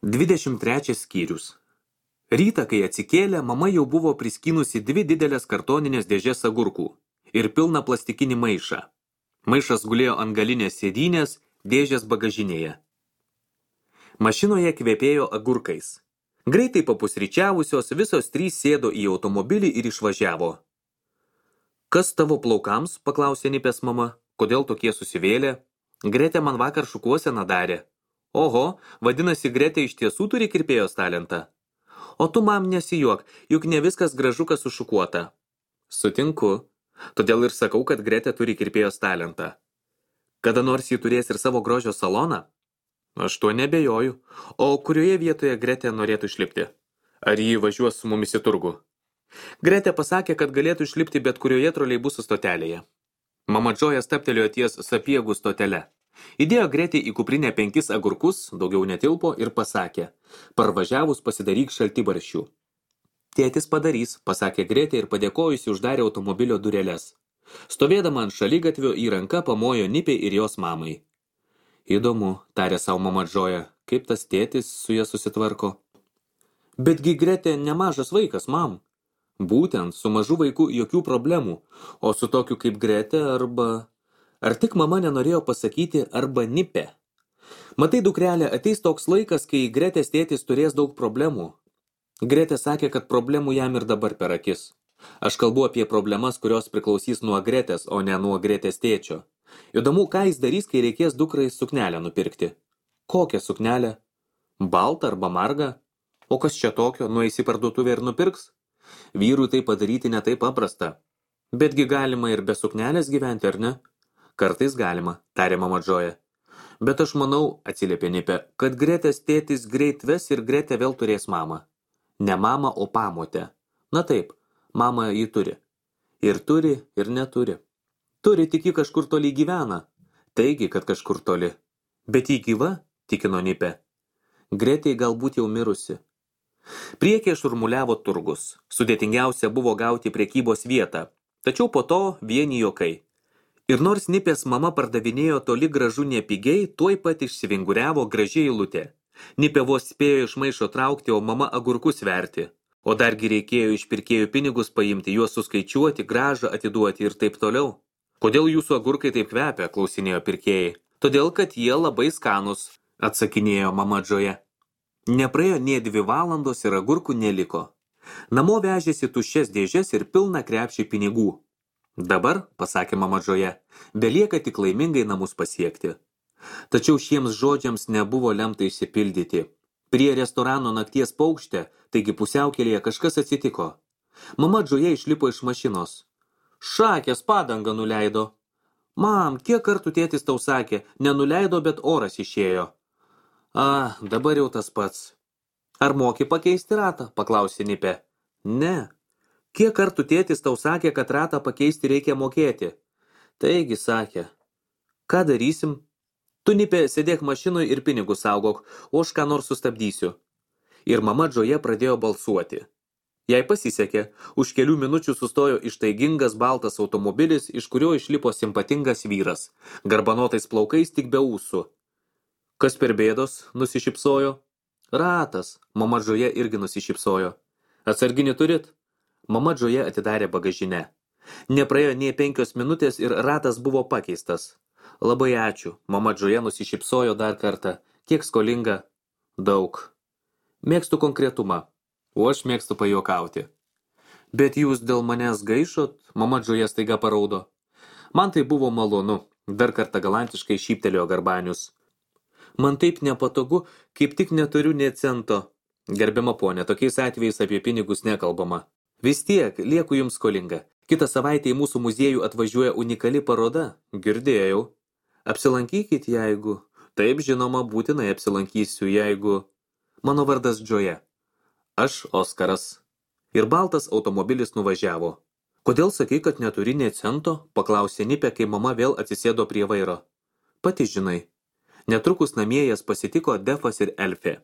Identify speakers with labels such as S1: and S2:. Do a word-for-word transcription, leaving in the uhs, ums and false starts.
S1: dvidešimt trečias skyrius. Rytą, kai atsikėlė, mama jau buvo priskynusi dvi didelės kartoninės dėžės agurkų ir pilną plastikinį maišą. Maišas gulėjo ant galinės sėdynės, dėžės bagažinėje. Mašinoje kvepėjo agurkais. Greitai papusryčiavusios visos trys sėdo į automobilį ir išvažiavo. Kas tavo plaukams, paklausė Nipės mama, kodėl tokie susivėlė? Gretė man vakar šukuoseną darė. Oho, vadinasi, Gretė iš tiesų turi kirpėjos talentą. O tu, mam, nesijuok, juk ne viskas gražuka sušukuota. Sutinku, todėl ir sakau, kad Gretė turi kirpėjos talentą. Kada nors ji turės ir savo grožio saloną? Aš tuo nebejoju. O kurioje vietoje Gretė norėtų išlipti? Ar ji važiuos su mumis į turgų? Gretė pasakė, kad galėtų išlipti bet kurioje troleibusų stotelėje. Mama Džoja stabtelėjo ties Sapiegų stotele. Įdėjo Gretė į kuprinę penkis agurkus, daugiau netilpo ir pasakė, parvažiavus pasidaryk šaltibarščių. Tėtis padarys, pasakė Gretė ir padėkojusi uždarė automobilio dureles. Stovėdama ant šaligatvio į ranką pamojo Nipei ir jos mamai. Įdomu, tarė savo mama Džoja, kaip tas tėtis su ja susitvarko. Betgi Gretė nemažas vaikas, mam. Būtent, su mažu vaiku jokių problemų, o su tokiu kaip Gretė arba... Ar tik mama nenorėjo pasakyti arba Nipė? Matai, dukrelė, ateis toks laikas, kai Gretės tėtis turės daug problemų. Gretė sakė, kad problemų jam ir dabar per akis. Aš kalbu apie problemas, kurios priklausys nuo Gretės, o ne nuo Gretės tėčio. Įdomu, ką jis darys, kai reikės dukrai suknelę nupirkti. Kokią suknelę? Baltą arba margą? O kas čia tokio, nueis į parduotuvę ir nupirks? Vyrui tai padaryti ne taip paprasta. Betgi galima ir be suknelės gyventi, ar ne? Kartais galima, tarė mama Džoja. Bet aš manau, atsiliepė Nipė, kad Gretės tėtis greit ves ir Gretė vėl turės mamą. Ne mamą, o pamotę. Na taip, mamą ji turi. Ir turi, ir neturi. Turi, tik ji kažkur toli gyvena. Taigi, kad kažkur toli. Bet ji gyva, tikino Nipė. Gretė galbūt jau mirusi. Priekyje šurmuliavo turgus. Sudėtingiausia buvo gauti prekybos vietą. Tačiau po to vieni juokai. Ir nors Nipės mama pardavinėjo toli gražu nepigiai, tuoj pat išsivinguriavo gražiai eilutė. Nipė vos spėjo iš maišo traukti, o mama agurkus verti. O dargi reikėjo iš pirkėjų pinigus paimti, juos suskaičiuoti, gražą atiduoti ir taip toliau. Kodėl jūsų agurkai taip kvepia, klausinėjo pirkėjai. Todėl, kad jie labai skanus, atsakinėjo mama Džoja. Nepraėjo nė dvi valandos ir agurkų neliko. Namo vežėsi tuščias dėžes ir pilną krepšį pinigų. Dabar, pasakė mama Džoja, belieka tik laimingai namus pasiekti. Tačiau šiems žodžiams nebuvo lemta išsipildyti. Prie restorano nakties paukštė, taigi pusiaukelėje kažkas atsitiko. Mama Džoja išlipo iš mašinos. Šakės padangą nuleido. Mam, kiek kartų tėtis tau sakė, nenuleido, bet oras išėjo. A, dabar jau tas pats. Ar moki pakeisti ratą, paklausė Nipė. Ne. Kiek kartų tėtis tau sakė, kad ratą pakeisti reikia mokėti? Taigi, sakė. Ką darysim? Tu, Nipė, sėdėk mašinoj ir pinigus saugok, o aš ką nors sustabdysiu. Ir mama Džoja pradėjo balsuoti. Jai pasisekė, už kelių minučių sustojo ištaigingas baltas automobilis, iš kurio išlipo simpatingas vyras, garbanotais plaukais tik be ūsų. Kas per bėdos, nusišypsojo? Ratas, mama Džoja irgi nusišypsojo. Atsarginį turit? Mama Džoja atidarė bagažinę. Nepraėjo nė penkios minutės ir ratas buvo pakeistas. Labai ačiū, mama Džoja nusišypsojo dar kartą. Kiek skolinga? Daug. Mėgstu konkretumą, o aš mėgstu pajuokauti. Bet jūs dėl manęs gaišot, mama Džoja staiga paraudo. Man tai buvo malonu, dar kartą galantiškai šyptelėjo Garbanius. Man taip nepatogu, kaip tik neturiu nė cento. Gerbiama ponė, tokiais atvejais apie pinigus nekalbama. Vis tiek, lieku jums skolinga. Kitą savaitę į mūsų muziejų atvažiuoja unikali paroda. Girdėjau. Apsilankykit, jeigu... Taip, žinoma, būtinai apsilankysiu, jeigu... Mano vardas Džoja. Aš Oskaras. Ir baltas automobilis nuvažiavo. Kodėl sakai, kad neturi nė cento? Paklausė Nipė, kai mama vėl atsisėdo prie vairo. Pati žinai. Netrukus namie jas pasitiko Defas ir Elfė.